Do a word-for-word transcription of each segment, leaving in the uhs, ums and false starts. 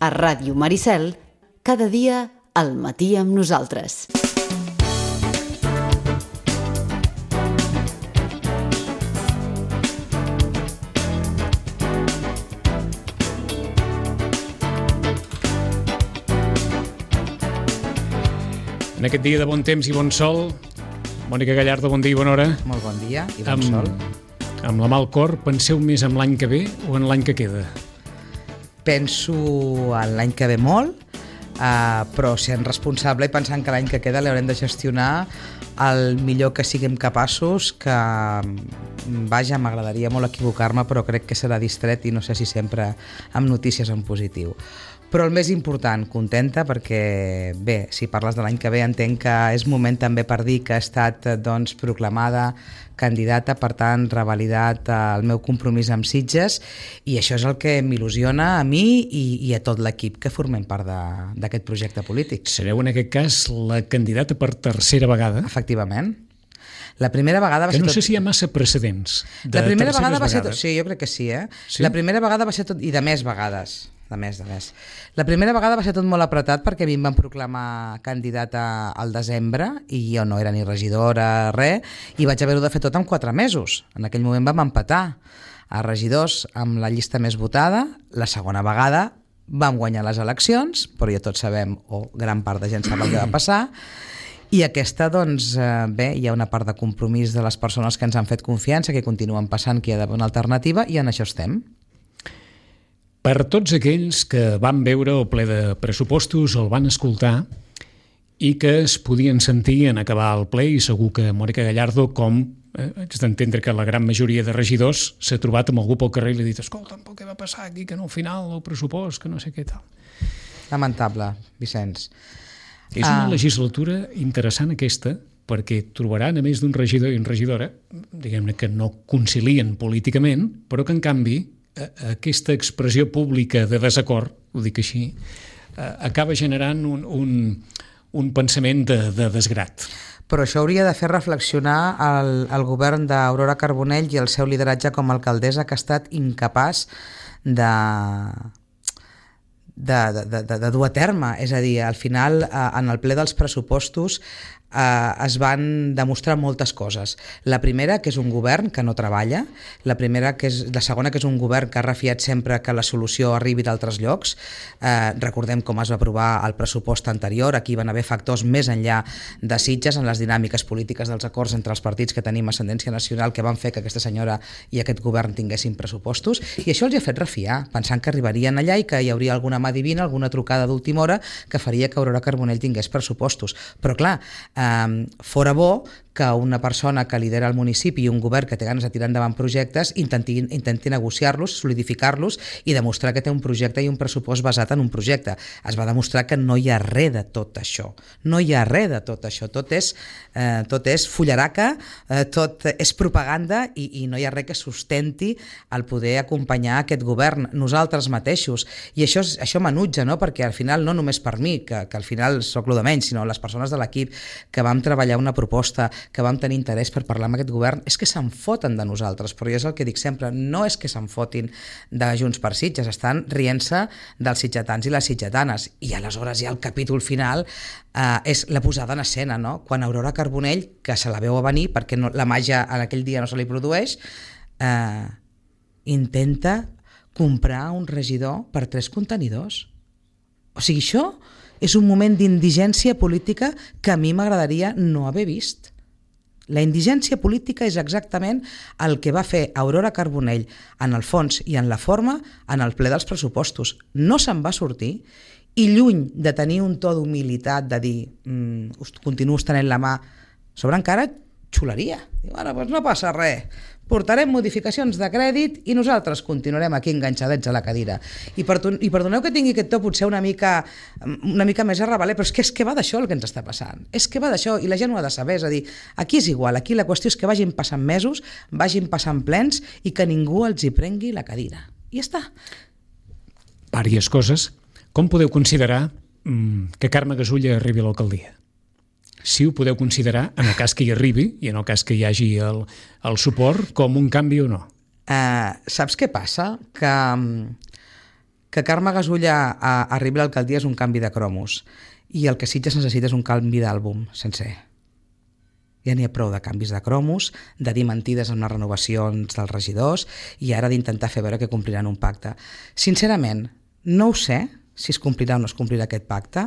A Ràdio Maricel, cada dia al matí amb nosaltres. En aquest dia de bon temps i bon sol, Mònica Gallardo, bon dia i bona hora. Molt bon dia i bon amb, sol. Amb la mà al cor, penseu més en l'any que ve o en l'any que queda? Penso en l'any que ve molt, uh, però sent responsable i pensant que l'any que queda l'haurem de gestionar el millor que siguem capaços, que vaja, m'agradaria molt equivocar-me, però crec que serà distret i no sé si sempre amb notícies en positiu. Però el més important, contenta, perquè bé, si parles de l'any que ve entenc que és moment també per dir que ha estat doncs, proclamada candidata, per tant revalidat el meu compromís amb Sitges, i això és el que m'il·lusiona a mi i, i a tot l'equip que formem part d'aquest projecte polític. Sereu en aquest cas la candidata per tercera vegada? Efectivament. La primera vegada va que ser no tot... sé si hi ha massa precedents de la primera vegada va vegades. ser tot... Sí, jo crec que sí, eh? Sí? La primera vegada va ser tot... I de més vegades. De més, de més. La primera vegada va ser tot molt apretat perquè a mi em van proclamar candidata al desembre i jo no era ni regidora, res, i vaig haver-ho de fer tot en quatre mesos. En aquell moment vam empatar a regidors amb la llista més votada. La segona vegada vam guanyar les eleccions, però ja tots sabem, o gran part de gent sap el que va passar. I aquesta, doncs, eh, bé, hi ha una part de compromís de les persones que ens han fet confiança, que continuen passant, que hi ha d'haver una alternativa, i en això estem. Per tots aquells que van veure el ple de pressupostos, el van escoltar i que es podien sentir en acabar el ple, i segur que Mònica Gallardo, com eh, haig d'entendre que la gran majoria de regidors, s'ha trobat amb algú pel carrer i li ha dit: escolta, què va passar aquí, que no al final el pressupost, que no sé què tal. Lamentable, Vicenç. És una Ah. legislatura interessant aquesta, perquè trobaran a més d'un regidor i una regidora, diguem-ne que no concilien políticament, però que en canvi aquesta expressió pública de desacord, ho dic així, acaba generant un, un, un pensament de, de desgrat. Però això hauria de fer reflexionar el, el govern d'Aurora Carbonell i el seu lideratge com a alcaldessa, que ha estat incapaç de... De, de, de, de dur a terme. És a dir, al final, en el ple dels pressupostos eh, es van demostrar moltes coses. La primera, que és un govern que no treballa, la primera que és, la segona, que és un govern que ha refiat sempre que la solució arribi d'altres llocs. Eh, recordem com es va aprovar el pressupost anterior, aquí van haver factors més enllà de Sitges en les dinàmiques polítiques dels acords entre els partits que tenim ascendència nacional, que van fer que aquesta senyora i aquest govern tinguessin pressupostos, i això els ha fet refiar, pensant que arribarien allà i que hi hauria alguna mà divina, alguna trucada d'última hora que faria que Aurora Carbonell tingués pressupostos. Però clar, eh, fora bo que una persona que lidera el municipi i un govern que té ganes de tirar endavant projectes intenti, intenti negociar-los, solidificar-los i demostrar que té un projecte i un pressupost basat en un projecte. Es va demostrar que no hi ha res de tot això. No hi ha res de tot això. Tot és, eh, tot és fullaraca, eh, tot és propaganda i, i no hi ha res que sustenti el poder acompanyar aquest govern, nosaltres mateixos. I això, això m'enutja, no? Perquè al final, no només per mi, que, que al final soc lo de menys, sinó les persones de l'equip que vam treballar una proposta, que vam tenir interès per parlar amb aquest govern, és que se'n foten de nosaltres, però jo és el que dic sempre, no és que se'n fotin de Junts per Sitges, estan rient-se dels sitgetans i les sitgetanes, i aleshores ja el capítol final eh, és la posada en escena, no? Quan Aurora Carbonell, que se la veu a venir, perquè no, la màgia en aquell dia no se li produeix, eh, intenta comprar un regidor per tres contenidors. O sigui, això és un moment d'indigència política que a mi m'agradaria no haver vist. La indigència política és exactament el que va fer Aurora Carbonell en el fons i en la forma en el ple dels pressupostos. No se'n va sortir i lluny de tenir un to d'humilitat, de dir mmm, us continuo estenent la mà sobre encara xuleria. Diu, bueno, doncs no passa res, portarem modificacions de crèdit i nosaltres continuarem aquí enganxadets a la cadira. I, perdon, i perdoneu que tingui aquest to potser una mica, una mica més arrabaler, però és que, és que va d'això el que ens està passant. És que va d'això i la gent ho ha de saber. És a dir, aquí és igual, aquí la qüestió és que vagin passant mesos, vagin passant plens i que ningú els hi prengui la cadira. I ja està. Vàries coses. Com podeu considerar mm, que Carme Gasulla arribi a l'alcaldia? Si ho podeu considerar, en el cas que hi arribi i en el cas que hi hagi el, el suport, com un canvi o no? Uh, saps què passa? Que um, que Carme Gasulla a, arribi a l'alcaldia és un canvi de cromos i el que Sitges necessita és un canvi d'àlbum sencer. Ja n'hi ha prou de canvis de cromos, de dir mentides en les renovacions dels regidors i ara d'intentar fer veure que compliran un pacte. Sincerament, no ho sé si es complirà o no es complirà aquest pacte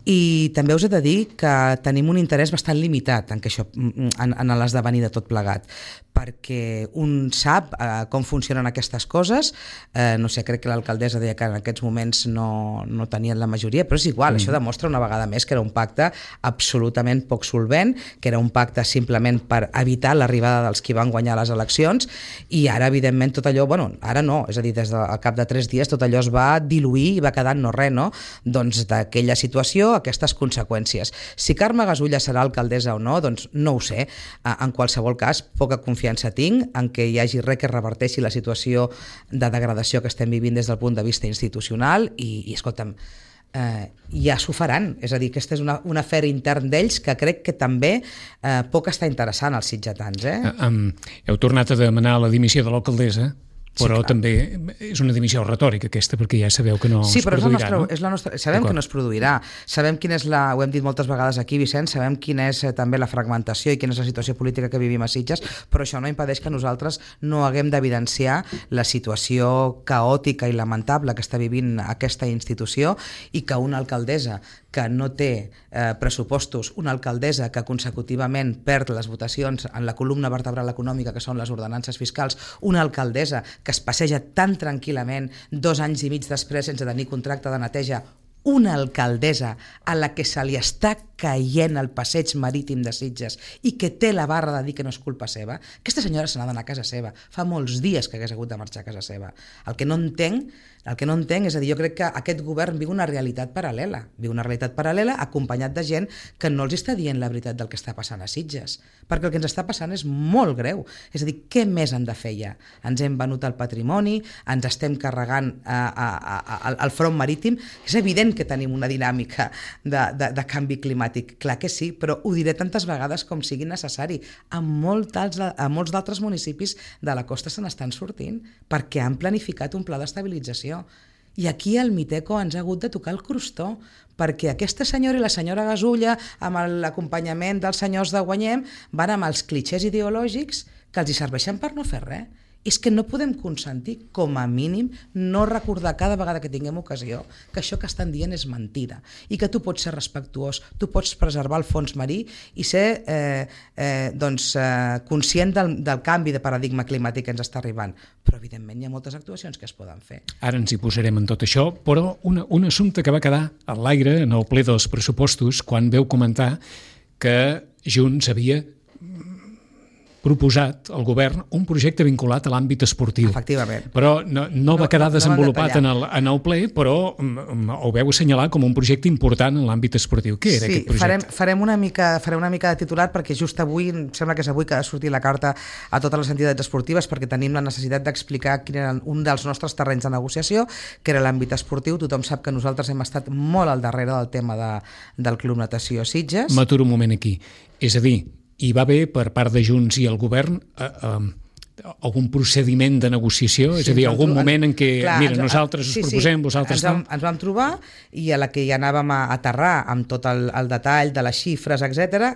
i també us he de dir que tenim un interès bastant limitat en, que això, en, en l'esdevenir de tot plegat, perquè un sap eh, com funcionen aquestes coses, eh, no sé, crec que l'alcaldessa deia que en aquests moments no, no tenien la majoria, però és igual, mm. això demostra una vegada més que era un pacte absolutament poc solvent, que era un pacte simplement per evitar l'arribada dels qui van guanyar les eleccions i ara evidentment tot allò, bueno, ara no, és a dir, des del cap de tres dies tot allò es va diluir i va quedar no res, no? Doncs d'aquella situació aquestes conseqüències. Si Carme Gasulla serà alcaldessa o no, doncs no ho sé. En qualsevol cas, poca confiança tinc en que hi hagi res que reverteixi la situació de degradació que estem vivint des del punt de vista institucional i, i escolta'm, eh, ja s'ho faran. És a dir, aquesta és una, un afer intern d'ells que crec que també eh, poc està interessant als sitgetans. Eh? Um, heu tornat a demanar la dimissió de l'alcaldessa, però sí, també és una dimissió retòrica aquesta, perquè ja sabeu que no sí, es produirà, és la nostra, no? És la nostra, sabem que no es produirà, sabem quina és la, ho hem dit moltes vegades aquí, Vicent, sabem quina és eh, també la fragmentació i quina és la situació política que vivim a Sitges, però això no impedeix que nosaltres no haguem d'evidenciar la situació caòtica i lamentable que està vivint aquesta institució i que una alcaldessa que no té eh, pressupostos, una alcaldessa que consecutivament perd les votacions en la columna vertebral econòmica que són les ordenances fiscals, una alcaldessa que es passeja tan tranquil·lament dos anys i mig després sense tenir contracte de neteja, una alcaldessa a la que se li està caient el passeig marítim de Sitges i que té la barra de dir que no és culpa seva, aquesta senyora se n'ha d'anar a casa seva. Fa molts dies que hagués hagut de marxar a casa seva. El que no entenc, el que no entenc és a dir, jo crec que aquest govern viu una realitat paral·lela, viu una realitat paral·lela acompanyat de gent que no els està dient la veritat del que està passant a Sitges, perquè el que ens està passant és molt greu. És a dir, què més han de fer ja? Ens hem venut el patrimoni, ens estem carregant a, a, a, a, el front marítim, és evident que tenim una dinàmica de, de, de canvi climàtic, clar que sí, però ho diré tantes vegades com sigui necessari. A, molt als, a molts d'altres municipis de la costa se n'estan sortint perquè han planificat un pla d'estabilització. I aquí el Miteco ens ha hagut de tocar el crostó perquè aquesta senyora i la senyora Gasulla amb l'acompanyament dels senyors de Guanyem van amb els clitxers ideològics que els hi serveixen per no fer res. És que no podem consentir, com a mínim, no recordar cada vegada que tinguem ocasió que això que estan dient és mentida i que tu pots ser respectuós, tu pots preservar el fons marí i ser eh, eh, doncs, eh, conscient del, del canvi de paradigma climàtic que ens està arribant. Però, evidentment, hi ha moltes actuacions que es poden fer. Ara ens hi posarem en tot això, però una, un assumpte que va quedar a l'aire en el ple dels pressupostos quan veu comentar que Junts havia proposat al govern un projecte vinculat a l'àmbit esportiu. Efectivament. Però no, no va quedar no, no, desenvolupat no en, el, en el ple, però um, ho veu assenyalar com un projecte important en l'àmbit esportiu. Què era sí, aquest projecte? Farem, farem, una mica, farem una mica de titular perquè just avui, em sembla que és avui que ha sortit la carta a totes les entitats esportives perquè tenim la necessitat d'explicar quin era un dels nostres terrenys de negociació, que era l'àmbit esportiu. Tothom sap que nosaltres hem estat molt al darrere del tema de, del Club Natació Sitges. M'aturo un moment aquí. És a dir, hi va haver per part de Junts i el govern eh, eh, algun procediment de negociació? Sí, és a dir, algun moment en què, clar, mira, ens, nosaltres us sí, proposem, sí, vosaltres ens vam, no? Ens vam trobar i a la que ja anàvem a aterrar amb tot el, el detall de les xifres, etcètera,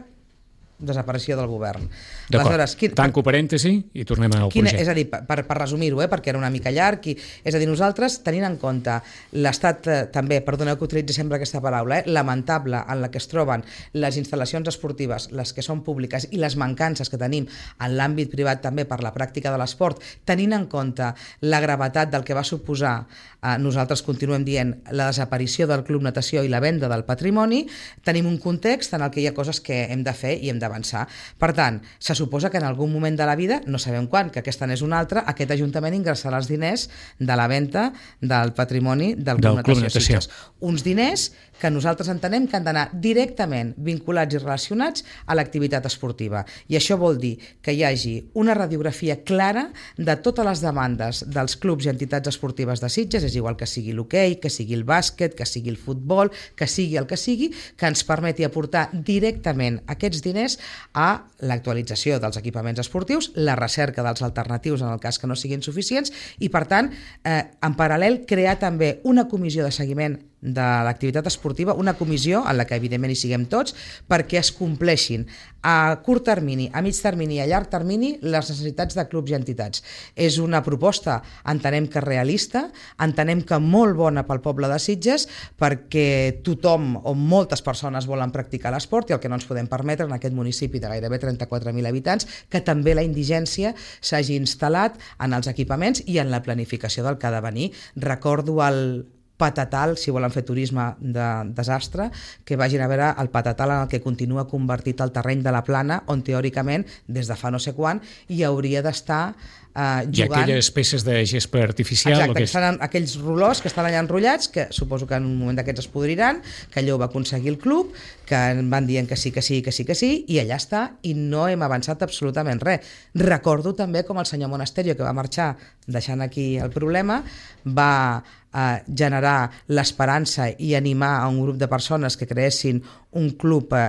desaparició del govern. D'acord, tanco parèntesi i tornem al quin, projecte. És a dir, per, per resumir-ho, eh, perquè era una mica llarg, i, és a dir, nosaltres, tenint en compte l'estat eh, també, perdoneu que utilitzi sempre aquesta paraula, eh, lamentable en la que es troben les instal·lacions esportives, les que són públiques, i les mancances que tenim en l'àmbit privat també per la pràctica de l'esport, tenint en compte la gravetat del que va suposar, eh, nosaltres continuem dient, la desaparició del Club Natació i la venda del patrimoni, tenim un context en el que hi ha coses que hem de fer i hem d'avançar. Per tant, se suposa que en algun moment de la vida, no sabem quan, que aquesta n'és una altra, aquest Ajuntament ingressarà els diners de la venda del patrimoni del Club Natació Sitges. Uns diners que nosaltres entenem que han d'anar directament vinculats i relacionats a l'activitat esportiva. I això vol dir que hi hagi una radiografia clara de totes les demandes dels clubs i entitats esportives de Sitges, és igual que sigui l'hoquei, que sigui el bàsquet, que sigui el futbol, que sigui el que sigui, que ens permeti aportar directament aquests diners diners a l'actualització dels equipaments esportius, la recerca dels alternatius en el cas que no siguin suficients i, per tant, eh, en paral·lel, crear també una comissió de seguiment de l'activitat esportiva, una comissió en la que evidentment hi siguem tots, perquè es compleixin a curt termini, a mig termini i a llarg termini les necessitats de clubs i entitats. És una proposta, entenem que realista, entenem que molt bona pel poble de Sitges, perquè tothom o moltes persones volen practicar l'esport i el que no ens podem permetre en aquest municipi de gairebé trenta-quatre mil habitants, que també la indigència s'hagi instal·lat en els equipaments i en la planificació del que ha de venir. Recordo el Patatal, si volen fer turisme de desastre, que vagin a veure el Patatal en el que continua convertit el terreny de la Plana, on teòricament, des de fa no sé quan, hi hauria d'estar Uh, jugant... I aquelles peces de gespa artificial... Exacte, que que estan, aquells rolors que estan allà enrotllats, que suposo que en un moment d'aquests es podriran, que allò ho va aconseguir el club, que van dient que sí, que sí, que sí, que sí, i allà està, i no hem avançat absolutament res. Recordo també com el senyor Monasterio, que va marxar deixant aquí el problema, va eh, generar l'esperança i animar a un grup de persones que creessin un club eh,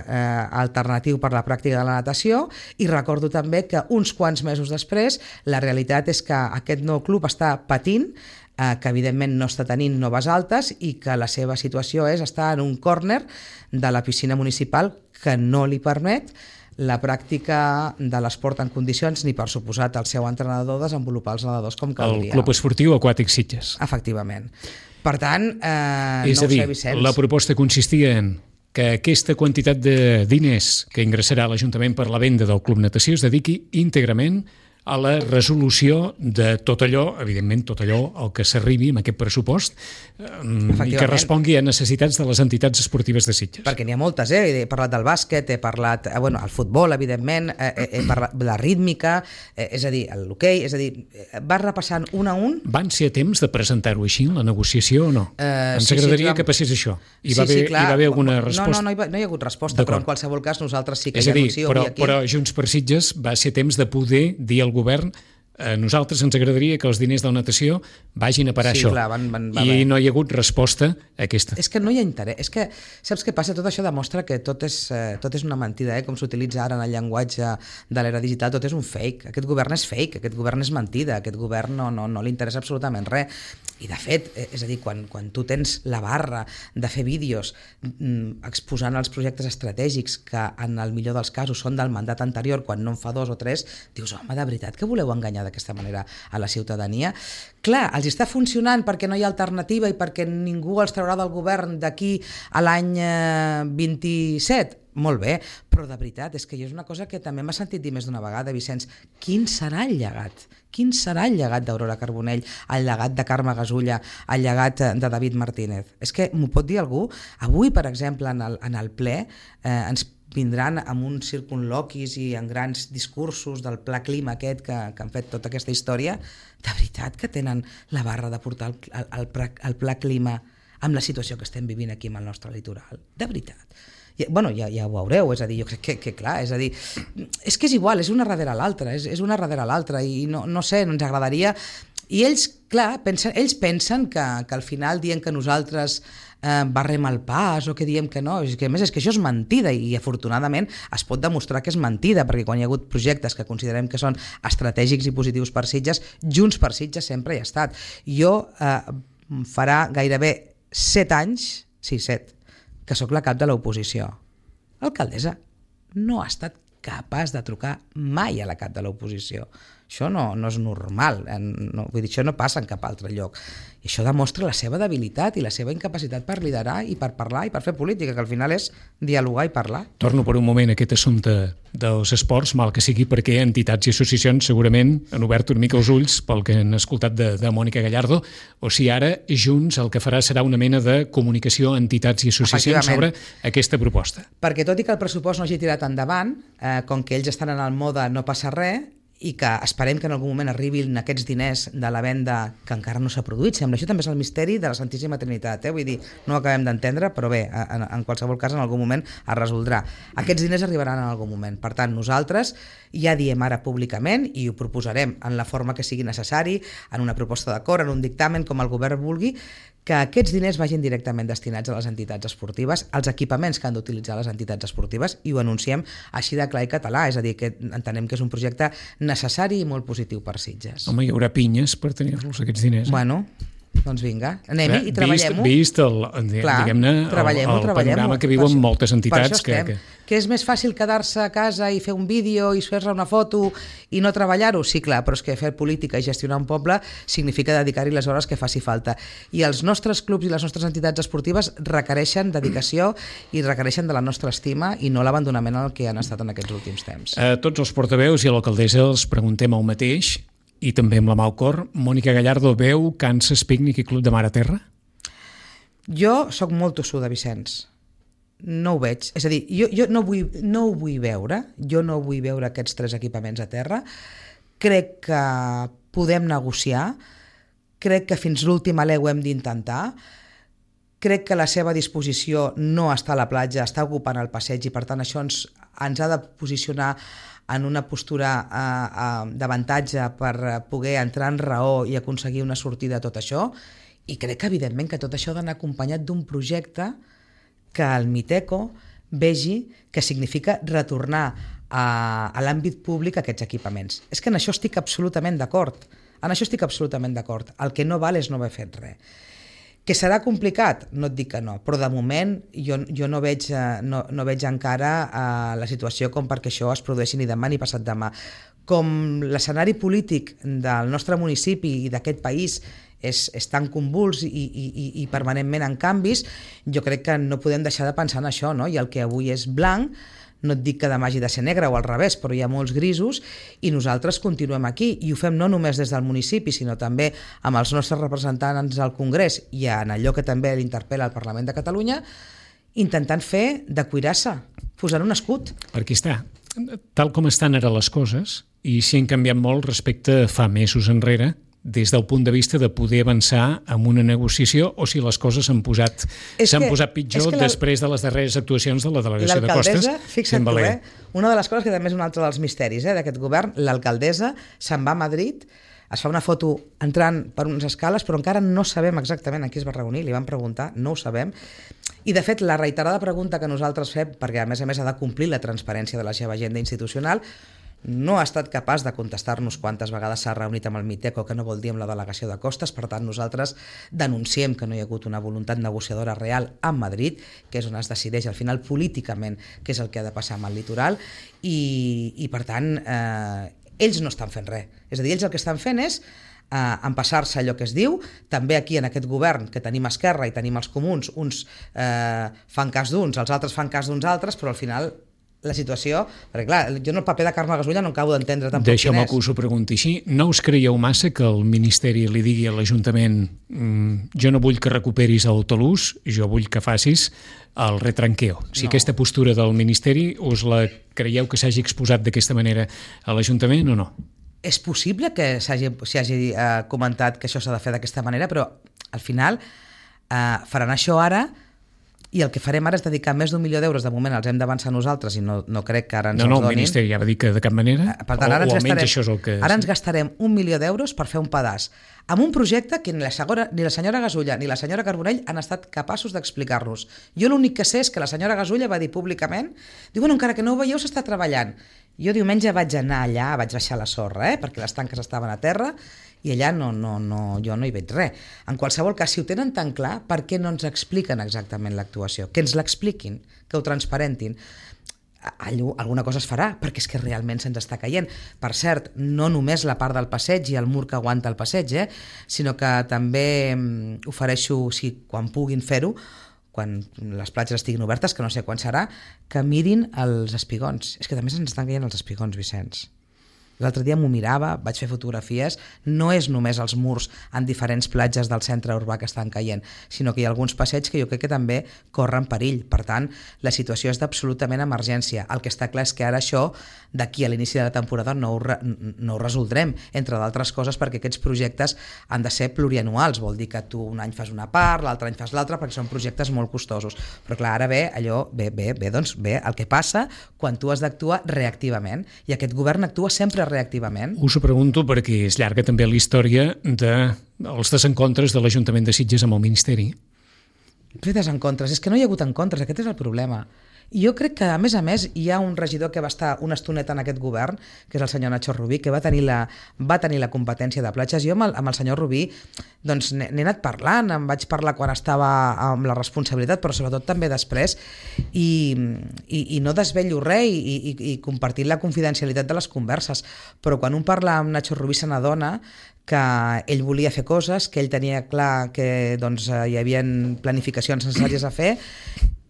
alternatiu per la pràctica de la natació, i recordo també que uns quants mesos després la realitat és que aquest nou club està patint, eh, que evidentment no està tenint noves altes i que la seva situació és estar en un córner de la piscina municipal que no li permet la pràctica de l'esport en condicions ni, per suposat, el seu entrenador desenvolupar els nedadors com caldria. El Club Esportiu Aquàtic Sitges. Efectivament. Per tant, eh, és no a dir, ho sé, Vicenç. La proposta consistia en que aquesta quantitat de diners que ingressarà l'Ajuntament per la venda del Club Natació es dediqui íntegrament a la resolució de tot allò, evidentment tot allò al que s'arribi amb aquest pressupost i que respongui a necessitats de les entitats esportives de Sitges. Perquè n'hi ha moltes, eh? He parlat del bàsquet, he parlat, eh, bueno, el futbol, evidentment, eh, he parlat de la rítmica, eh, és a dir, l'hoquei, és a dir, vas repassant un a un. Van ser a temps de presentar-ho així, la negociació, o no? Eh, Ens sí, agradaria sí, clar. que passés això. Hi Sí, va haver, sí, clar. hi va haver alguna resposta? No, no, no hi, va, no hi ha hagut resposta, però en qualsevol cas nosaltres sí que és ja a dir, anuncio però, avui aquí. però Junts per Sitges va ser temps de poder dir al govern a nosaltres ens agradaria que els diners de la natació vagin a parar Sí, això. clar, van- van- va I bé. no hi ha hagut resposta a aquesta. És que no hi ha interès. És que, saps què passa? Tot això demostra que tot és, eh, tot és una mentida, eh? Com s'utilitza ara en el llenguatge de l'era digital, tot és un fake. Aquest govern és fake, aquest govern és mentida, aquest govern no, no, no li interessa absolutament res. I de fet, eh, és a dir, quan, quan tu tens la barra de fer vídeos mm, exposant els projectes estratègics que en el millor dels casos són del mandat anterior, quan no en fa dos o tres, dius, home, de veritat que voleu enganyar d'aquesta manera a la ciutadania? Clar, els està funcionant perquè no hi ha alternativa i perquè ningú els traurà del govern d'aquí a l'any eh, vint-i-set. Molt bé, però de veritat, és que jo és una cosa que també m'ha sentit dir més d'una vegada, Vicenç. Quin serà el llegat? Quin serà el llegat d'Aurora Carbonell, el llegat de Carme Gasulla, el llegat de David Martínez? És que m'ho pot dir algú? Avui, per exemple, en el, en el ple, eh, ens vindran amb uns circunloquis i en grans discursos del pla clima aquest que, que han fet tota aquesta història. De veritat que tenen la barra de portar el, el, el, pla, el pla clima amb la situació que estem vivint aquí amb el nostre litoral? De veritat. I, bueno, ja, ja ho veureu, és a dir, jo crec que, que clar, és a dir, és que és igual, és una darrere l'altra, és, és una darrere l'altra i no, no sé, ens agradaria... I ells, clar, pensen, ells pensen que, que al final dient que nosaltres eh, barrem el pas o que diem que no, és que a més és que això és mentida i afortunadament es pot demostrar que és mentida, perquè quan hi ha hagut projectes que considerem que són estratègics i positius per Sitges, Junts per Sitges sempre hi ha estat. Jo eh, farà gairebé set anys, sí, set, que sóc la cap de l'oposició. L'alcaldessa no ha estat capaç de trucar mai a la cap de l'oposició. Això no, no és normal, no, vull dir, això no passa en cap altre lloc. I això demostra la seva debilitat i la seva incapacitat per liderar i per parlar i per fer política, que al final és dialogar i parlar. Torno per un moment a aquest assumpte dels esports, mal que sigui perquè entitats i associacions segurament han obert una mica els ulls pel que han escoltat de, de Mònica Gallardo, o si ara Junts el que farà serà una mena de comunicació a entitats i associacions sobre aquesta proposta. Perquè tot i que el pressupost no hagi tirat endavant, eh, com que ells estan en el mode no passa res, i que esperem que en algun moment arribin aquests diners de la venda que encara no s'ha produït. Sembla, això també és el misteri de la Santíssima Trinitat, eh? Vull dir, no ho acabem d'entendre, però bé, en, en qualsevol cas en algun moment es resoldrà. Aquests diners arribaran en algun moment. Per tant, nosaltres ja diem ara públicament i ho proposarem en la forma que sigui necessari, en una proposta d'acord, en un dictamen, com el govern vulgui, que aquests diners vagin directament destinats a les entitats esportives, als equipaments que han d'utilitzar les entitats esportives, i ho anunciem així de clar i català, és a dir, que entenem que és un projecte necessari i molt positiu per Sitges. Home, hi haurà pinyes per tenir-los aquests diners. Eh? Bueno, doncs vinga, anem-hi i treballem-ho. Vist, vist el, diguem-ne, el, el panorama que viuen moltes entitats. Que, que... que és més fàcil quedar-se a casa i fer un vídeo i fer-se una foto i no treballar-ho? Sí, clar, però és que fer política i gestionar un poble significa dedicar-hi les hores que faci falta. I els nostres clubs i les nostres entitats esportives requereixen dedicació i requereixen de la nostra estima i no l'abandonament al que han estat en aquests últims temps. A tots els portaveus i a l'alcaldessa els preguntem el mateix, i també amb la mà al cor. Mònica Gallardo, veu Kansas Picnic i Club de Mar a Terra? Jo sóc molt tossuda, Vicenç. No ho veig. És a dir, jo, jo no, vull, no ho vull veure. Jo no vull veure aquests tres equipaments a terra. Crec que podem negociar. Crec que fins l'últim alè ho hem d'intentar. Crec que la seva disposició no està a la platja, està ocupant el passeig i per tant això ens, ens ha de posicionar en una postura eh, eh, d'avantatge per poder entrar en raó i aconseguir una sortida a tot això, i crec que evidentment que tot això ha d'anar acompanyat d'un projecte que el Miteco vegi que significa retornar a, a l'àmbit públic aquests equipaments. És que en això estic absolutament d'acord, en això estic absolutament d'acord. El que no val és no haver fet res. Que serà complicat? No et dic que no, però de moment jo, jo no, veig, no, no veig encara uh, la situació com perquè això es produeixi ni demà ni passat demà. Com l'escenari polític del nostre municipi i d'aquest país és, és tan convuls i, i, i, i permanentment en canvis, jo crec que no podem deixar de pensar en això, no? I el que avui és blanc, no et dic que demà hagi de ser negre o al revés, però hi ha molts grisos i nosaltres continuem aquí i ho fem no només des del municipi sinó també amb els nostres representants al Congrés i en allò que també l'interpel·la al Parlament de Catalunya, intentant fer de cuirassa, posant un escut. Perquè està, tal com estan ara les coses, i si han canviat molt respecte a fa mesos enrere, des del punt de vista de poder avançar amb una negociació o si les coses s'han posat, s'han posat pitjor després de les darreres actuacions de la delegació de Costes. L'alcaldessa, fixa't tu, eh? Una de les coses que també és un altre dels misteris eh, d'aquest govern, l'alcaldessa se'n va a Madrid, es fa una foto entrant per unes escales, però encara no sabem exactament en qui es va reunir, li van preguntar, no ho sabem. I de fet, la reiterada pregunta que nosaltres fem, perquè a més a més ha de complir la transparència de la seva agenda institucional, no ha estat capaç de contestar-nos quantes vegades s'ha reunit amb el Miteco, que no vol dir amb la delegació de Costes. Per tant, nosaltres denunciem que no hi ha hagut una voluntat negociadora real a Madrid, que és on es decideix al final políticament què és el que ha de passar amb el litoral, i, i per tant, eh, ells no estan fent res. És a dir, ells el que estan fent és eh, empassar-se allò que es diu. També aquí en aquest govern, que tenim Esquerra i tenim els comuns, uns eh, fan cas d'uns, els altres fan cas d'uns altres, però al final la situació, perquè clar, jo en el paper de Carme Gasulla no acabo d'entendre tampoc quin és. Deixa'm que us ho pregunti així. No us creieu massa que el Ministeri li digui a l'Ajuntament mmm, jo no vull que recuperis el talús, jo vull que facis el retranqueo? Si no. Aquesta postura del Ministeri us la creieu que s'hagi exposat d'aquesta manera a l'Ajuntament o no? És possible que s'hagi, s'hagi eh, comentat que això s'ha de fer d'aquesta manera, però al final eh, faran això ara. I el que farem ara és dedicar més d'un milió d'euros, de moment els hem d'avançar nosaltres i no, no crec que ara ens no, no, els donin. No, no, el Ministeri ja va dir que de cap manera, per tant, ara o, ens o almenys gastarem, això és el que... Ara ens gastarem un milió d'euros per fer un pedaç, amb un projecte que ni la, segora, ni la senyora Gasulla ni la senyora Carbonell han estat capaços d'explicar-nos. Jo l'únic que sé és que la senyora Gasulla va dir públicament, diu, bueno, encara que no ho veieu, s'està treballant. Jo diumenge vaig anar allà, vaig baixar la sorra, eh, perquè les tanques estaven a terra, i allà no, no, no, jo no hi veig res. En qualsevol cas, si ho tenen tan clar, per què no ens expliquen exactament l'actuació? Que ens l'expliquin, que ho transparentin. Allò, alguna cosa es farà, perquè és que realment se'ns està caient. Per cert, no només la part del passeig i el mur que aguanta el passeig, eh, sinó que també ofereixo, si quan puguin fer-ho, quan les platges estiguin obertes, que no sé quan serà, que mirin els espigons. És que també se'ns estan caient els espigons, Vicenç. L'altre dia m'ho mirava, vaig fer fotografies, no és només els murs en diferents platges del centre urbà que estan caient, sinó que hi ha alguns passeigs que jo crec que també corren perill. Per tant, la situació és d'absolutament emergència. El que està clar és que ara això, d'aquí a l'inici de la temporada, no ho, re, no ho resoldrem, entre d'altres coses perquè aquests projectes han de ser plurianuals, vol dir que tu un any fas una part, l'altre any fas l'altra, perquè són projectes molt costosos. Però clar, ara ve allò, bé, bé, bé, doncs bé, el que passa quan tu has d'actuar reactivament, i aquest govern actua sempre reactivament. Us ho pregunto perquè és llarga també la història de els desencontres de l'Ajuntament de Sitges amb el Ministeri. Fer desencontres, és que no hi ha hagut encontres, aquest és el problema. I jo crec que, a més a més, hi ha un regidor que va estar una estoneta en aquest govern, que és el senyor Nacho Rubí, que va tenir la, va tenir la competència de platges. Jo amb el, amb el senyor Rubí doncs, n'he anat parlant, em vaig parlar quan estava amb la responsabilitat, però sobretot també després, i, i, i no desvello res i, i, i compartir la confidencialitat de les converses. Però quan un parla amb Nacho Rubí se n'adona que ell volia fer coses, que ell tenia clar que doncs, hi havia planificacions necessàries a fer,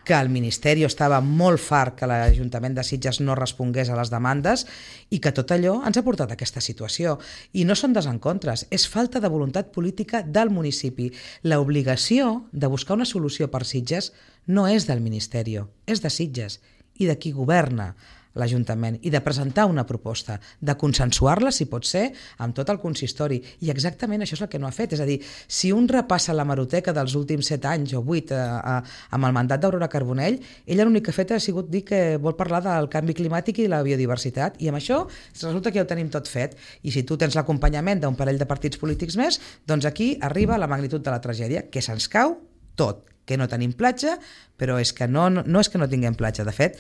que el Ministeri estava molt fart que l'Ajuntament de Sitges no respongués a les demandes i que tot allò ens ha portat a aquesta situació. I no són desencontres, és falta de voluntat política del municipi. L'obligació de buscar una solució per Sitges no és del Ministeri, és de Sitges i de qui governa l'Ajuntament, i de presentar una proposta, de consensuar-la, si pot ser, amb tot el consistori. I exactament això és el que no ha fet. És a dir, si un repassa la hemeroteca dels últims set anys o vuit eh, eh, amb el mandat d'Aurora Carbonell, ella l'únic que ha fet ha sigut dir que vol parlar del canvi climàtic i la biodiversitat, i amb això resulta que ja ho tenim tot fet. I si tu tens l'acompanyament d'un parell de partits polítics més, doncs aquí arriba la magnitud de la tragèdia, que se'ns cau tot, que no tenim platja, però és que no, no, no és que no tinguem platja. De fet,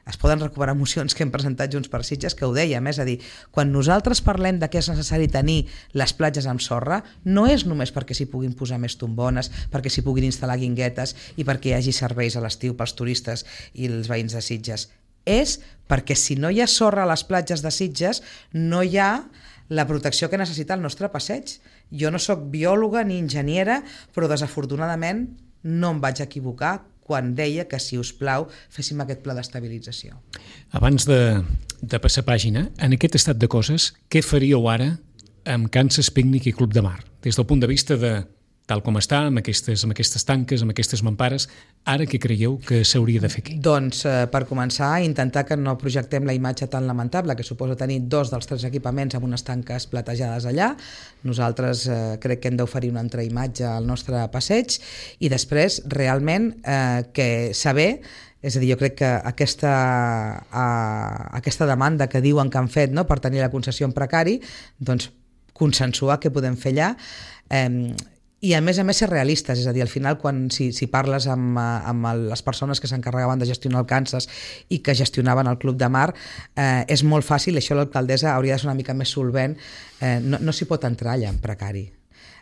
es poden recuperar mocions que hem presentat Junts per Sitges que ho dèiem, és a dir, quan nosaltres parlem de que és necessari tenir les platges amb sorra, no és només perquè s'hi puguin posar més tombones, perquè s'hi puguin instal·lar guinguetes i perquè hi hagi serveis a l'estiu pels turistes i els veïns de Sitges. És perquè si no hi ha sorra a les platges de Sitges, no hi ha la protecció que necessita el nostre passeig. Jo no sóc biòloga ni enginyera, però desafortunadament no em vaig equivocar quan deia que, si us plau, féssim aquest pla d'estabilització. Abans de, de passar pàgina, en aquest estat de coses, què faríeu ara amb Kansas Picnic i Club de Mar? Des del punt de vista de, tal com està, amb aquestes, amb aquestes tanques, amb aquestes mampares, ara què creieu que s'hauria de fer aquí? Doncs, eh, per començar, intentar que no projectem la imatge tan lamentable que suposa tenir dos dels tres equipaments amb unes tanques platejades allà. Nosaltres eh, crec que hem d'oferir una altra imatge al nostre passeig i després, realment, eh, que saber... És a dir, jo crec que aquesta, uh, aquesta demanda que diuen que han fet, no?, per tenir la concessió en precari, doncs consensuar què podem fer allà, eh, i a més a més ser realistes. És a dir, al final, quan si, si parles amb, amb les persones que s'encarregaven de gestionar el Kansas i que gestionaven el Club de Mar, eh, és molt fàcil, això l'alcaldessa hauria de ser una mica més solvent, eh, no, no s'hi pot entrar allà en precari.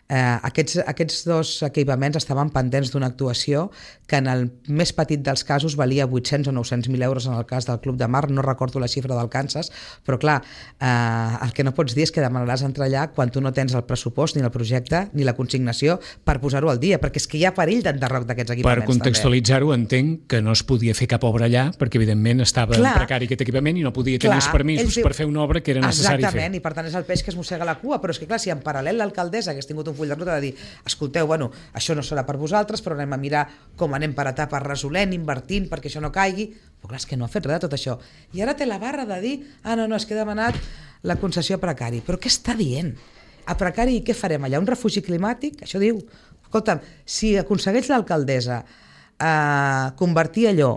Eh, aquests, aquests dos equipaments estaven pendents d'una actuació que en el més petit dels casos valia vuit-cents o nou-cents mil euros en el cas del Club de Mar, no recordo la xifra del Kansas, però clar, eh, el que no pots dir és que demanaràs entrar allà quan tu no tens el pressupost, ni el projecte, ni la consignació per posar-ho al dia, perquè és que hi ha perill d'enderroc d'aquests equipaments. Per contextualitzar-ho, entenc que no es podia fer cap obra allà, perquè evidentment estava clar, en precari aquest equipament i no podia tenir clar, els permisos diu, per fer una obra que era necessari fer. Exactament, i per tant és el peix que es mossega la cua, però és que clar, si en paral·lel l'alcaldessa hagués tingut un full de ruta de dir, escolteu, bueno, això no serà per vosaltres, però anem a mirar com anem per etapes resolent, invertint perquè això no caigui, però clar, és que no ha fet res de tot això. I ara té la barra de dir, ah, no, no, és que he demanat la concessió a precari. Però què està dient? A precari què farem allà? Un refugi climàtic? Això diu, escolta'm, si aconsegueix l'alcaldessa eh, convertir allò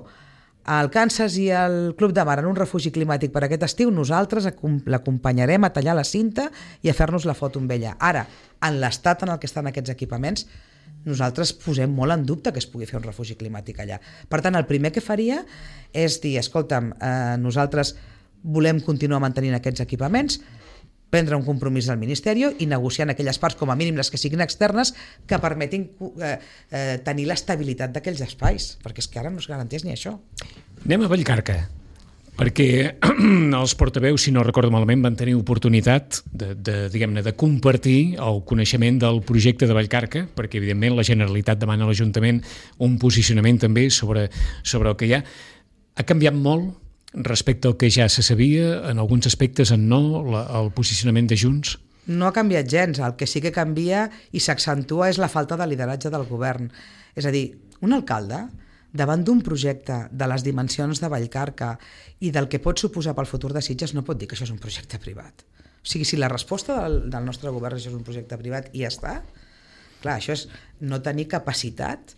el Kansas i el Club de Mar en un refugi climàtic per aquest estiu, nosaltres l'acompanyarem a tallar la cinta i a fer-nos la foto amb ella. Ara, en l'estat en el que estan aquests equipaments, nosaltres posem molt en dubte que es pugui fer un refugi climàtic allà. Per tant, el primer que faria és dir, escolta'm, eh, nosaltres volem continuar mantenint aquests equipaments, prendre un compromís del Ministeri i negociar en aquelles parts, com a mínim les que siguin externes, que permetin eh, eh, tenir l'estabilitat d'aquells espais, perquè és que ara no es garanteix ni això. Anem a Vallcarca, perquè els portaveus, si no recordo malament, van tenir oportunitat de, de, diguem-ne, de compartir el coneixement del projecte de Vallcarca, perquè evidentment la Generalitat demana a l'Ajuntament un posicionament també sobre, sobre el que hi ha. Ha canviat molt respecte al que ja se sabia, en alguns aspectes en no, la, el posicionament de Junts? No ha canviat gens, el que sí que canvia i s'accentua és la falta de lideratge del govern. És a dir, un alcalde, davant d'un projecte de les dimensions de Vallcarca i del que pot suposar pel futur de Sitges, no pot dir que això és un projecte privat. O sigui, si la resposta del, del nostre govern és un projecte privat i ja està, clar, això és no tenir capacitat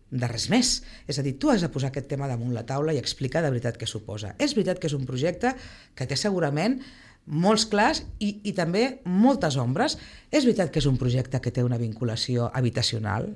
de res més. És a dir, tu has de posar aquest tema damunt la taula i explicar de veritat què suposa. És veritat que és un projecte que té segurament molts clars i, i també moltes ombres. És veritat que és un projecte que té una vinculació habitacional,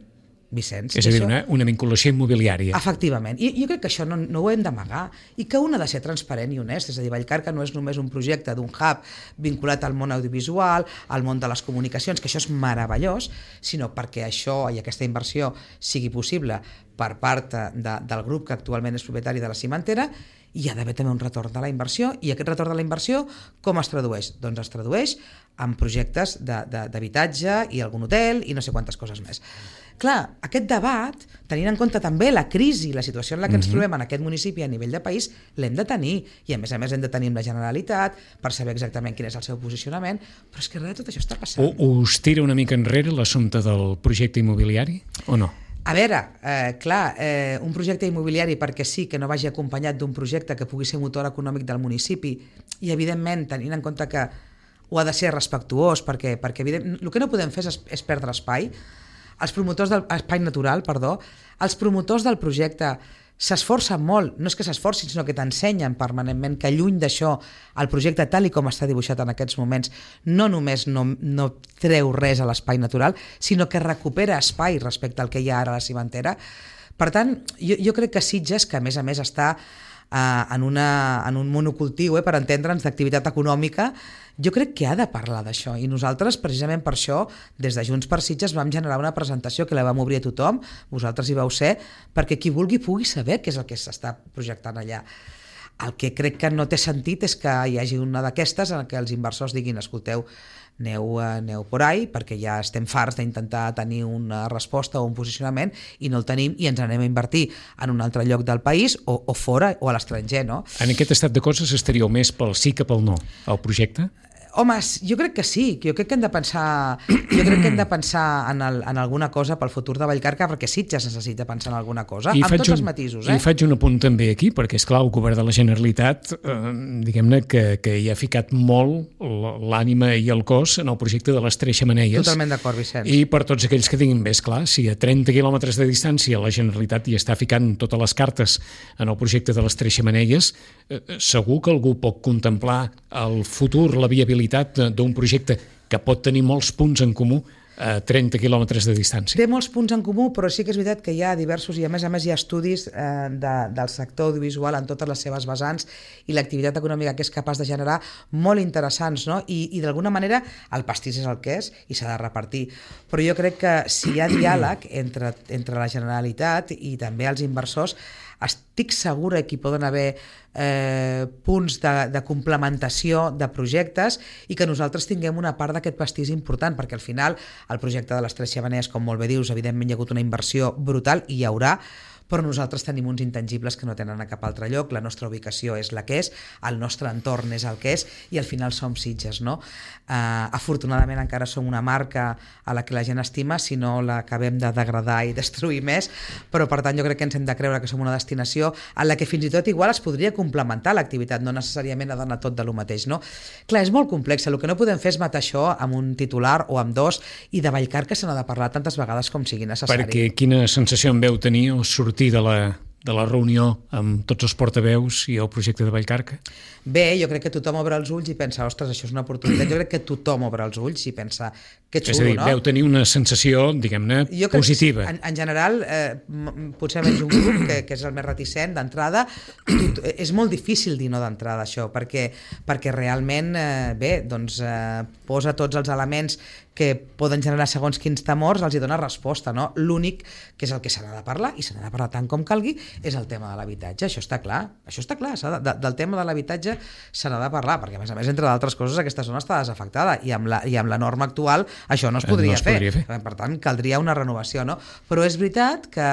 Vicenç. És a dir, això... una, una vinculació immobiliària. Efectivament. I jo crec que això no, no ho hem d'amagar i que un ha de ser transparent i honest. És a dir, Vallcarca no és només un projecte d'un hub vinculat al món audiovisual, al món de les comunicacions, que això és meravellós, sinó perquè això i aquesta inversió sigui possible per part de, del grup que actualment és propietari de la cimentera, hi ha d'haver també un retorn de la inversió, i aquest retorn de la inversió com es tradueix? Doncs es tradueix en projectes d'habitatge i algun hotel i no sé quantes coses més. Clar, aquest debat, tenint en compte també la crisi, la situació en la que ens trobem en aquest municipi a nivell de país, l'hem de tenir, i a més a més hem de tenir amb la Generalitat per saber exactament quin és el seu posicionament, però és que res de tot això està passant. O, us tira una mica enrere l'assumpte del projecte immobiliari, o no? A veure, eh, clar, eh, un projecte immobiliari perquè sí que no vagi acompanyat d'un projecte que pugui ser motor econòmic del municipi i, evidentment, tenint en compte que ho ha de ser respectuós, perquè, perquè evident, el que no podem fer és, és perdre espai. Els promotors del espai natural, perdó, els promotors del projecte s'esforcen molt, no és que s'esforcin, sinó que t'ensenyen permanentment que lluny d'això el projecte tal i com està dibuixat en aquests moments no només no, no treu res a l'espai natural, sinó que recupera espai respecte al que hi ha ara a la cimentera. Per tant, jo, jo crec que Sitges, que a més a més està eh, en, una, en un monocultiu, eh, per entendre'ns, d'activitat econòmica, jo crec que ha de parlar d'això, i nosaltres precisament per això des de Junts per Sitges vam generar una presentació que la vam obrir a tothom, vosaltres hi vau ser, perquè qui vulgui pugui saber què és el que s'està projectant allà. El que crec que no té sentit és que hi hagi una d'aquestes en què els inversors diguin, escolteu, aneu, aneu por ahí, perquè ja estem farts d'intentar tenir una resposta o un posicionament i no el tenim i ens anem a invertir en un altre lloc del país o, o fora o a l'estranger, no? En aquest estat de coses estaríeu més pel sí que pel no al projecte? Home, jo crec que sí, jo crec que hem de pensar, jo crec que hem de pensar en, el, en alguna cosa pel futur de Vallcarca, perquè Sitges necessita pensar en alguna cosa, I amb tots un, els matisos. Eh? I faig un apunt també aquí, perquè és clar, el govern de la Generalitat, eh, diguem-ne que, que hi ha ficat molt l'ànima i el cos en el projecte de les Tres Xemeneies. Totalment d'acord, Vicenç. I per tots aquells que diguin, bé, esclar, si a trenta quilòmetres de distància la Generalitat hi està ficant totes les cartes en el projecte de les Tres Xemeneies, eh, segur que algú pot contemplar el futur, la viabilitat d'un projecte que pot tenir molts punts en comú a trenta quilòmetres de distància. Té molts punts en comú, però sí que és veritat que hi ha diversos, i a més a més hi ha estudis eh, de, del sector audiovisual en totes les seves vessants i l'activitat econòmica que és capaç de generar molt interessants, no? I, i d'alguna manera el pastís és el que és i s'ha de repartir. Però jo crec que si hi ha diàleg entre, entre la Generalitat i també els inversors, estic segura que hi poden haver eh, punts de, de complementació de projectes i que nosaltres tinguem una part d'aquest pastís important, perquè al final el projecte de les Tres Xemeneies, com molt bé dius, evidentment hi ha hagut una inversió brutal i hi haurà, però nosaltres tenim uns intangibles que no tenen a cap altre lloc, la nostra ubicació és la que és, el nostre entorn és el que és i al final som Sitges, no? Uh, afortunadament encara som una marca a la que la gent estima, si no l'acabem de degradar i destruir més, però per tant jo crec que ens hem de creure que som una destinació en la que fins i tot igual es podria complementar l'activitat, no necessàriament ha d'anar tot de lo mateix, no? Clar, és molt complex, el que no podem fer és matar això amb un titular o amb dos, i de Vallcarca se n'ha de parlar tantes vegades com sigui necessari. Perquè quina sensació en veu tenir o sortir de la, de la reunió amb tots els portaveus i el projecte de Vallcarca? Bé, jo crec que tothom obre els ulls i pensa, ostres, això és una oportunitat. Jo crec que tothom obre els ulls i pensa, que xulo, és a dir, no? Veu tenir una sensació, diguem-ne, positiva. En, en general, eh, potser menys un grup, que, que és el més reticent d'entrada, és molt difícil dir no d'entrada això, perquè, perquè realment, eh, bé, doncs eh, posa tots els elements que poden generar segons quins temors, els hi dona resposta, no? L'únic que és el que se n'ha de parlar, i se n'ha de parlar tant com calgui, és el tema de l'habitatge. Això està clar, això està clar, de, de, del tema de l'habitatge se n'ha de parlar, perquè a més a més, entre d'altres coses, aquesta zona està desafectada i amb la, i amb la norma actual això no es podria, no es podria fer. fer. Per tant, caldria una renovació, no? Però és veritat que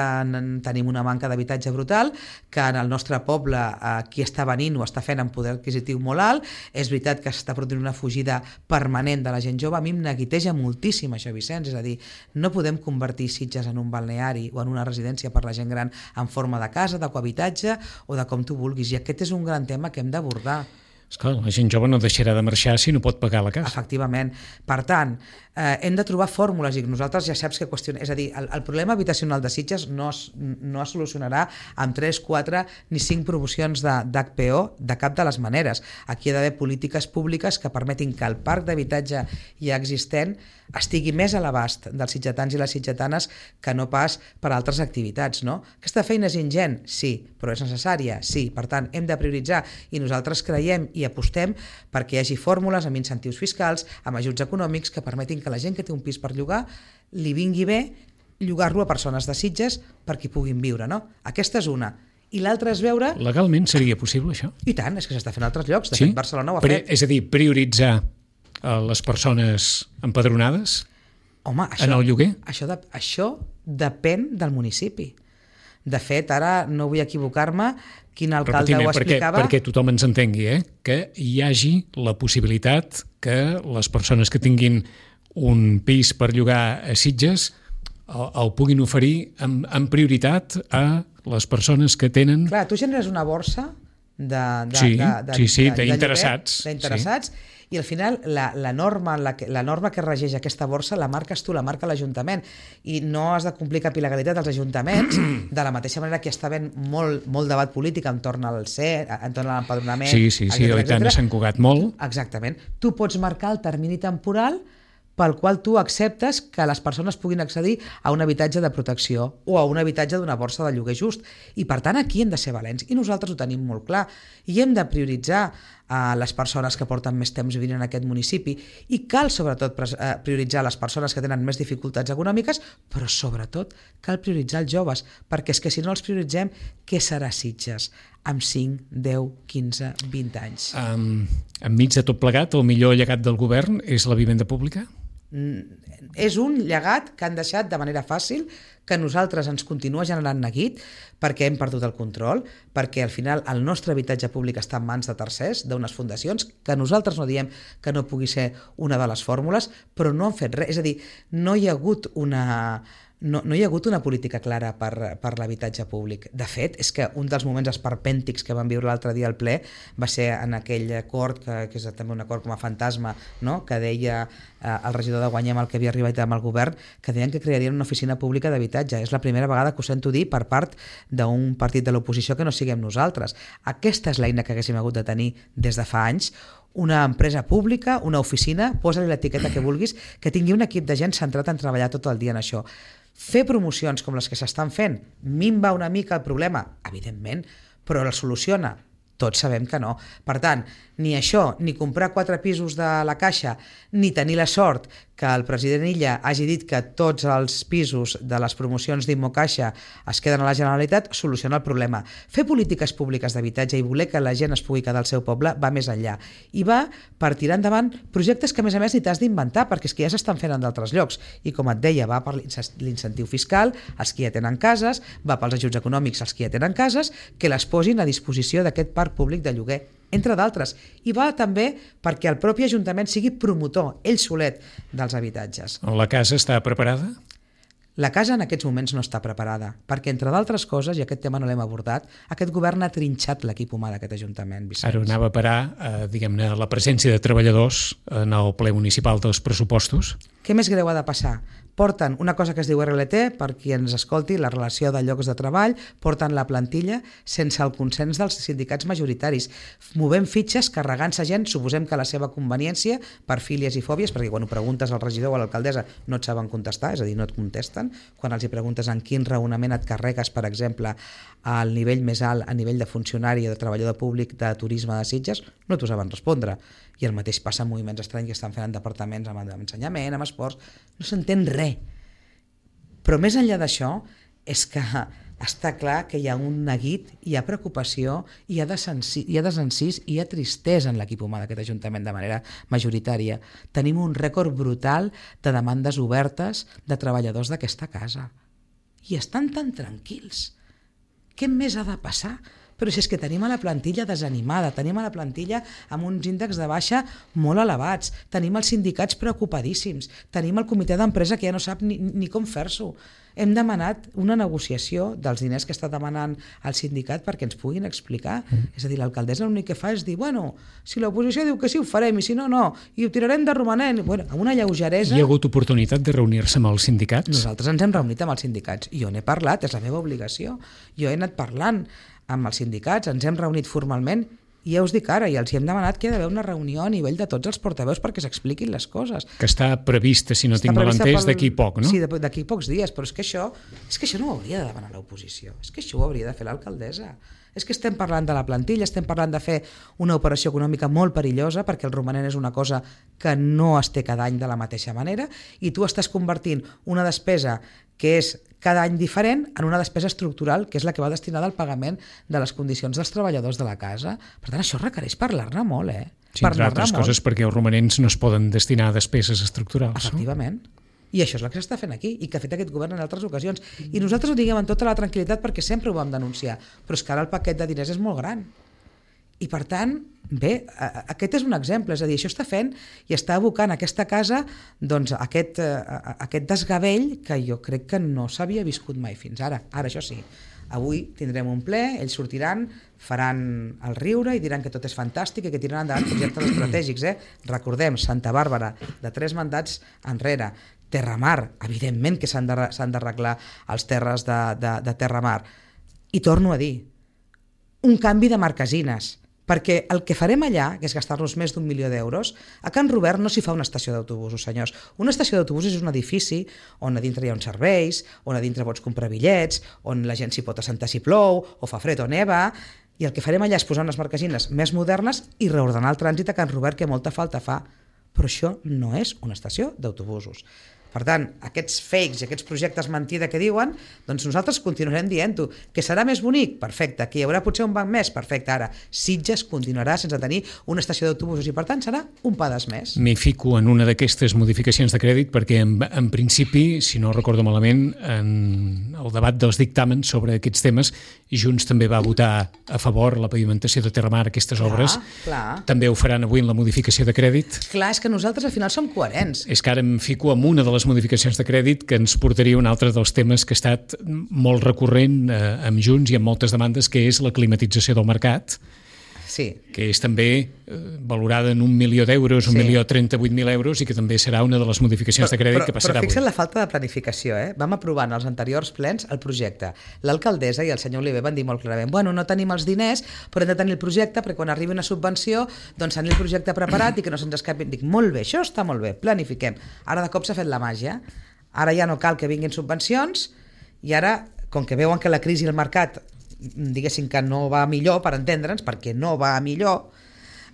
tenim una manca d'habitatge brutal, que en el nostre poble eh, qui està venint ho està fent amb poder adquisitiu molt alt, és veritat que s'està produint una fugida permanent de la gent jove. A mi em neguiteja moltíssim això, Vicenç, és a dir, no podem convertir Sitges en un balneari o en una residència per la gent gran en forma de casa, de cohabitatge o de com tu vulguis, i aquest és un gran tema que hem d'abordar. Esclar, la gent jove no deixarà de marxar si no pot pagar la casa. Efectivament. Per tant, eh, hem de trobar fórmules i nosaltres ja saps que qüestionem. És a dir, el, el problema habitacional de Sitges no es, no es solucionarà amb tres, quatre ni cinc promocions d'H P O de cap de les maneres. Aquí hi ha d'haver polítiques públiques que permetin que el parc d'habitatge ja existent estigui més a l'abast dels sitgetans i les sitgetanes que no pas per altres activitats. No? Aquesta feina és ingent? Sí, però és necessària? Sí. Per tant, hem de prioritzar i nosaltres creiem i apostem perquè hi hagi fórmules amb incentius fiscals, amb ajuts econòmics que permetin que la gent que té un pis per llogar li vingui bé llogar-lo a persones de Sitges perquè hi puguin viure. No? Aquesta és una. I l'altra és veure... Legalment seria possible, això? I tant, és que s'està fent a altres llocs. De sí? fet, Barcelona ho ha Pre fet. És a dir, prioritzar les persones empadronades Home, això, en el lloguer? Això, de, això depèn del municipi. De fet, ara no vull equivocar-me, quin alcalde ho explicava... Perquè tothom ens entengui, eh? Que hi hagi la possibilitat que les persones que tinguin un pis per llogar a Sitges el, el puguin oferir amb, amb prioritat a les persones que tenen... Clar, tu generes una borsa de, de, sí, de, de, sí, sí, de, d'interessats. D'interessats, sí. I al final la, la, norma, la, que, la norma que regeix aquesta borsa la marques tu, la marca l'Ajuntament, i no has de complir cap il·legalitat als ajuntaments, de la mateixa manera que està havent molt, molt debat polític entorn al C E, entorn a l'empadronament... Sí, sí, sí, oi tant, s'han cugat molt. Exactament. Tu pots marcar el termini temporal pel qual tu acceptes que les persones puguin accedir a un habitatge de protecció o a un habitatge d'una borsa de lloguer just. I per tant aquí hem de ser valents i nosaltres ho tenim molt clar i hem de prioritzar a les persones que porten més temps vivint en aquest municipi i cal sobretot prioritzar les persones que tenen més dificultats econòmiques, però sobretot cal prioritzar els joves, perquè és que si no els prioritzem, què serà Sitges amb cinc, deu, quinze, vint anys? Um, enmig de tot plegat, el millor llegat del govern és la vivenda pública? Mm, és un llegat que han deixat de manera fàcil, que a nosaltres ens continua generant neguit perquè hem perdut el control, perquè al final el nostre habitatge públic està en mans de tercers, d'unes fundacions, que nosaltres no diem que no pugui ser una de les fórmules, però no han fet res. És a dir, no hi ha hagut una... No, no hi ha hagut una política clara per, per l'habitatge públic. De fet, és que un dels moments esperpèntics que vam viure l'altre dia al ple va ser en aquell acord, que, que és també un acord com a fantasma, no? Que deia eh, el regidor de Guanyem, el que havia arribat amb el govern, que deien que crearien una oficina pública d'habitatge. És la primera vegada que ho sento dir per part d'un partit de l'oposició que no siguem nosaltres. Aquesta és l'eina que haguéssim hagut de tenir des de fa anys, una empresa pública, una oficina, posa-li l'etiqueta que vulguis, que tingui un equip de gent centrat en treballar tot el dia en això. Fer promocions com les que s'estan fent minva una mica el problema? Evidentment, però el soluciona? Tots sabem que no. Per tant, ni això, ni comprar quatre pisos de la Caixa, ni tenir la sort que el president Illa hagi dit que tots els pisos de les promocions d'Immocaixa es queden a la Generalitat, soluciona el problema. Fer polítiques públiques d'habitatge i voler que la gent es pugui quedar al seu poble va més enllà. I va per tirar endavant projectes que, a més a més, ni t'has d'inventar, perquè és que ja s'estan fent en d'altres llocs. I, com et deia, va per l'incentiu fiscal, els que ja tenen cases, va pels ajuts econòmics, els que ja tenen cases, que les posin a disposició d'aquest parc públic de lloguer, entre d'altres. I va també perquè el propi Ajuntament sigui promotor, ell solet, dels habitatges. La casa està preparada? La casa en aquests moments no està preparada, perquè, entre d'altres coses, i aquest tema no l'hem abordat, aquest govern ha trinxat l'equip humà d'aquest Ajuntament, Vicenç. Ara anava a parar, eh, diguem-ne, la presència de treballadors en el ple municipal dels pressupostos. Què més greu ha de passar? Porten una cosa que es diu R L T, per qui ens escolti, la relació de llocs de treball, porten la plantilla sense el consens dels sindicats majoritaris. Movem fitxes, carregant-se gent, suposem que a la seva conveniència, per fílies i fòbies, perquè quan ho preguntes al regidor o a l'alcaldessa no et saben contestar, és a dir, no et contesten. Quan els hi preguntes en quin raonament et carregues, per exemple, al nivell més alt, a nivell de funcionari o de treballador públic de turisme de Sitges, no t'ho saben respondre. I el mateix passa en moviments estranys que estan fent en departaments amb ensenyament, amb esports, no s'entén res. Però més enllà d'això és que està clar que hi ha un neguit, hi ha preocupació, hi ha desencís, hi ha tristesa en l'equip humà d'aquest Ajuntament de manera majoritària. Tenim un rècord brutal de demandes obertes de treballadors d'aquesta casa. I estan tan tranquils. Què més ha de passar Però si és que tenim a la plantilla desanimada, tenim a la plantilla amb uns índexs de baixa molt elevats, tenim els sindicats preocupadíssims, tenim el comitè d'empresa que ja no sap ni, ni com fer-s'ho. Hem demanat una negociació dels diners que està demanant el sindicat perquè ens puguin explicar. Mm. És a dir, l'alcaldessa l'únic que fa és dir, bueno, si l'oposició diu que sí ho farem i si no, no, i ho tirarem de romanent. Bueno, amb una lleugeresa... Hi ha hagut oportunitat de reunir-se amb els sindicats? Nosaltres ens hem reunit amb els sindicats. Jo n'he parlat, és la meva obligació. Jo he anat parlant amb els sindicats, ens hem reunit formalment i ja us dic ara, i els hi hem demanat que hi ha d'haver una reunió a nivell de tots els portaveus perquè s'expliquin les coses. Que està prevista, si no està tinc mal entès, pel... d'aquí poc, no? Sí, d'aquí pocs dies, però és que això és que això no ho hauria de demanar l'oposició, és que això ho hauria de fer l'alcaldessa. És que estem parlant de la plantilla, estem parlant de fer una operació econòmica molt perillosa perquè el romanent és una cosa que no es té cada any de la mateixa manera i tu estàs convertint una despesa que és cada any diferent en una despesa estructural que és la que va destinada al pagament de les condicions dels treballadors de la casa. Per tant, això requereix parlar-ne molt, eh? Sí, entre altres coses perquè els romanents no es poden destinar a despeses estructurals. Efectivament. No? I això és el que s'està fent aquí i que ha fet aquest govern en altres ocasions. I nosaltres ho diguem amb tota la tranquil·litat perquè sempre ho vam denunciar, però és que ara el paquet de diners és molt gran. I per tant, bé, aquest és un exemple, és a dir, això està fent i està abocant aquesta casa doncs, aquest, aquest desgavell que jo crec que no s'havia viscut mai fins ara. Ara, això sí, avui tindrem un ple, ells sortiran, faran el riure i diran que tot és fantàstic i que tiraran endavant projectes estratègics. Eh? Recordem, Santa Bàrbara, de tres mandats enrere, Terramar, evidentment que s'han d'arreglar els terres de, de, de Terramar. I torno a dir, un canvi de marquesines, perquè el que farem allà, que és gastar-nos més d'un milió d'euros, a Can Robert no s'hi fa una estació d'autobusos, senyors. Una estació d'autobusos és un edifici on a dintre hi ha uns serveis, on a dintre pots comprar bitllets, on la gent s'hi pot assentar si plou, o fa fred o neva, i el que farem allà és posar unes marquesines més modernes i reordenar el trànsit a Can Robert, que molta falta fa. Però això no és una estació d'autobusos. Per tant, aquests fakes i aquests projectes mentida que diuen, doncs nosaltres continuarem dient-ho. Que serà més bonic? Perfecte. Que hi haurà potser un banc més? Perfecte. Ara, Sitges continuarà sense tenir una estació d'autobusos i per tant serà un pas més. M'hi fico en una d'aquestes modificacions de crèdit perquè en, en principi, si no recordo malament, en el debat dels dictàmens sobre aquests temes, Junts també va votar a favor la pavimentació de Terramar, aquestes clar, obres. Clar. També ho faran avui en la modificació de crèdit. Clar, és que nosaltres al final som coherents. És que ara em fico en una de les modificacions de crèdit que ens portaria un altre dels temes que ha estat molt recurrent eh, amb Junts i amb moltes demandes, que és la climatització del mercat, sí. que és també eh, valorada en un milió d'euros, un sí. milió trenta-vuit mil euros, i que també serà una de les modificacions però, de crèdit però, que passarà avui. Però fixa't avui. la falta de planificació, eh? Vam aprovar en els anteriors plens el projecte. L'alcaldessa i el senyor Oliver van dir molt clarament, bueno, no tenim els diners, però hem de tenir el projecte perquè quan arribi una subvenció, doncs tenir el projecte preparat i que no se'ns escapi. Dic, molt bé, això està molt bé, planifiquem. Ara de cop s'ha fet la màgia. Ara ja no cal que vinguin subvencions i ara, com que veuen que la crisi i el mercat diguéssim que no va millor, per entendre'ns, perquè no va millor,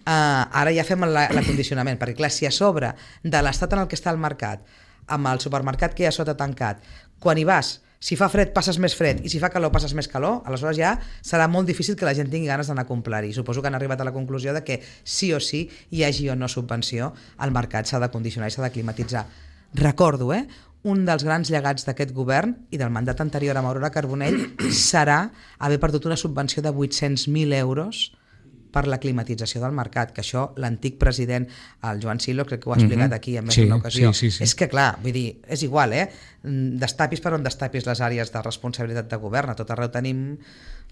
eh, ara ja fem l'acondicionament, perquè clar, si a sobre de l'estat en el que està el mercat, amb el supermercat que hi ha sota tancat, quan hi vas, si fa fred passes més fred i si fa calor passes més calor, aleshores ja serà molt difícil que la gent tingui ganes d'anar a comprar-hi. Suposo que han arribat a la conclusió de que sí o sí, hi hagi o no subvenció, el mercat s'ha de condicionar i s'ha de climatitzar. Recordo, eh? Un dels grans llegats d'aquest govern i del mandat anterior amb Aurora Carbonell serà haver perdut una subvenció de vuit-cents mil euros per la climatització del mercat, que això l'antic president, el Joan Silo, crec que ho ha explicat mm-hmm. aquí en més sí, d'una ocasió. Sí, sí, sí. És que clar, vull dir, és igual, eh? Destapis per on destapis les àrees de responsabilitat de govern, a tot arreu tenim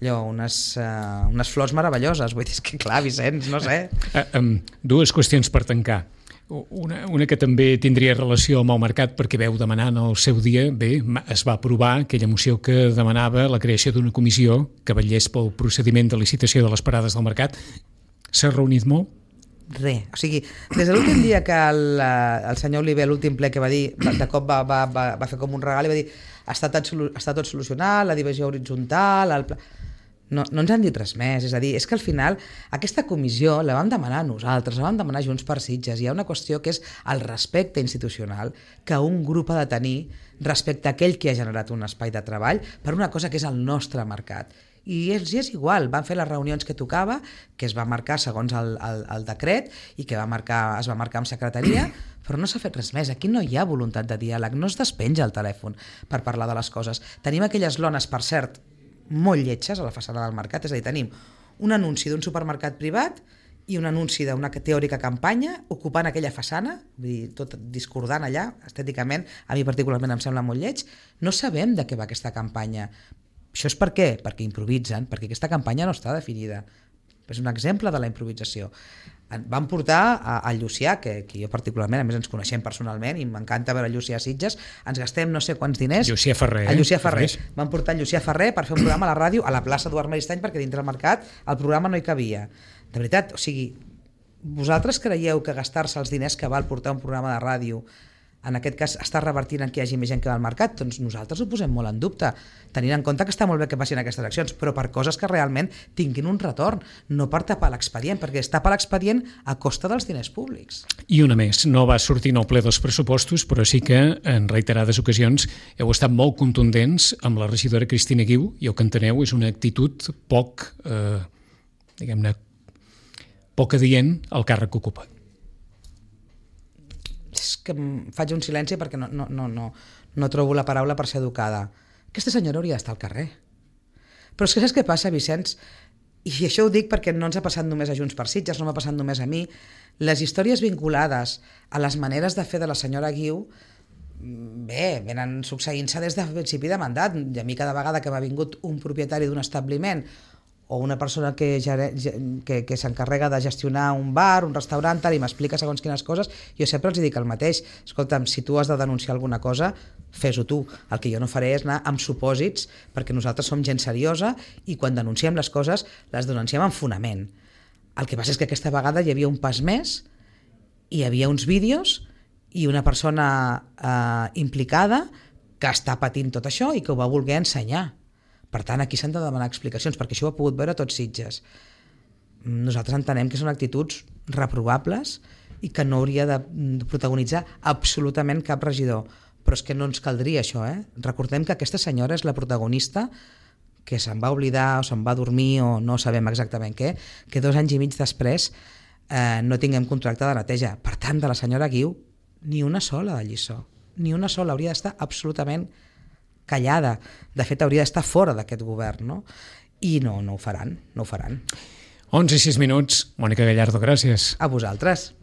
allò, unes, uh, unes flors meravelloses, vull dir, és que clar, Vicenç, no sé. Uh, um, dues qüestions per tancar. Una, una que també tindria relació amb el mercat perquè veu demanar en el seu dia, bé, es va aprovar aquella moció que demanava la creació d'una comissió que vetllés pel procediment de licitació de les parades del mercat. S'ha reunit molt? Res, o sigui, des de l'últim dia que el, el senyor Oliver, l'últim ple que va dir, de cop va, va, va, va fer com un regal i va dir està tot, està tot solucionat, la divisió horitzontal, el pla... No, no ens han dit res més, és a dir, és que al final aquesta comissió la vam demanar nosaltres, la vam demanar Junts per Sitges, hi ha una qüestió que és el respecte institucional que un grup ha de tenir respecte a aquell que ha generat un espai de treball per una cosa que és el nostre mercat. I és, és igual, van fer les reunions que tocava, que es va marcar segons el, el, el decret i que va marcar, es va marcar amb secretaria, però no s'ha fet res més. Aquí no hi ha voluntat de diàleg, no es despenja el telèfon per parlar de les coses. Tenim aquelles lones, per cert, molt lletges a la façana del mercat, és a dir, tenim un anunci d'un supermercat privat i un anunci d'una teòrica campanya ocupant aquella façana, vull dir, tot discordant allà, estèticament, a mi particularment em sembla molt lleig. No sabem de què va aquesta campanya. Això és per què? Perquè improvisen, perquè aquesta campanya no està definida. És un exemple de la improvisació. Van portar al Llucià, que, que jo particularment, a més ens coneixem personalment i m'encanta veure el Llucià a Sitges, ens gastem no sé quants diners. Llucià Ferrer. A Llucià Ferrer. Van portar el Llucià Ferrer per fer un programa a la ràdio a la plaça Eduard Maristany perquè dintre del mercat el programa no hi cabia. De veritat, o sigui, vosaltres creieu que gastar-se els diners que val portar un programa de ràdio en aquest cas està revertint en que hi hagi més gent que va al mercat? Doncs nosaltres ho posem molt en dubte, tenint en compte que està molt bé que passin aquestes accions, però per coses que realment tinguin un retorn, no per tapar l'expedient, perquè es tapa l'expedient a costa dels diners públics. I una més, no va sortir en el ple dels pressupostos, però sí que en reiterades ocasions heu estat molt contundents amb la regidora Cristina Guiu, i el que enteneu és una actitud poc, eh, diguem-ne, poc adient al càrrec que ocupa. És que faig un silenci perquè no, no, no, no, no trobo la paraula per ser educada. Aquesta senyora hauria d'estar al carrer. Però és que saps què passa, Vicenç? I això ho dic perquè no ens ha passat només a Junts per Sitges, no m'ha passat només a mi. Les històries vinculades a les maneres de fer de la senyora Guiu, bé, venen succeint-se des del principi de mandat. I a mi cada vegada que m'ha vingut un propietari d'un establiment o una persona que, que, que s'encarrega de gestionar un bar, un restaurant, i m'explica segons quines coses, jo sempre els dic el mateix. Escolta'm, si tu has de denunciar alguna cosa, fes-ho tu. El que jo no faré és anar amb supòsits, perquè nosaltres som gent seriosa i quan denunciem les coses, les denunciem amb fonament. El que passa és que aquesta vegada hi havia un pas més, hi havia uns vídeos i una persona eh, implicada que està patint tot això i que ho va voler ensenyar. Per tant, aquí s'han de demanar explicacions, perquè això ho ha pogut veure tots Sitges. Nosaltres entenem que són actituds reprovables i que no hauria de protagonitzar absolutament cap regidor. Però és que no ens caldria això, eh? Recordem que aquesta senyora és la protagonista que se'n va oblidar o se'n va dormir o no sabem exactament què, que dos anys i mig després eh, no tinguem contracte de neteja. Per tant, de la senyora Guiu, ni una sola de lliçó. Ni una sola, hauria d'estar absolutament callada. De fet, hauria d'estar fora d'aquest govern, no? I no, no ho faran, no ho faran. onze i sis minuts. Mònica Gallardo, gràcies. A vosaltres.